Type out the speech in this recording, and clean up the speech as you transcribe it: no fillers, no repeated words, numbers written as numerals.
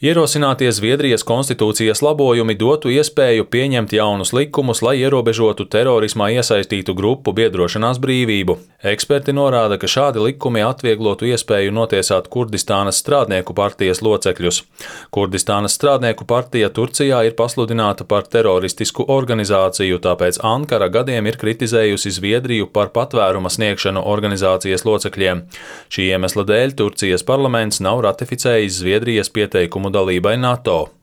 Ierosinātie Zviedrijas konstitūcijas labojumi dotu iespēju pieņemt jaunus likumus, lai ierobežotu terorismā iesaistītu grupu biedrošanās brīvību. Eksperti norāda, ka šādi likumi atvieglotu iespēju notiesāt Kurdistānas strādnieku partijas locekļus. Kurdistānas strādnieku partija Turcijā ir pasludināta par teroristisku organizāciju, tāpēc Ankara gadiem ir kritizējusi Zviedriju par patvēruma sniegšanu organizācijas locekļiem. Šī iemesla dēļ Turcijas parlaments nav ratificējis Zviedrijas pieteikumu dalībai NATO.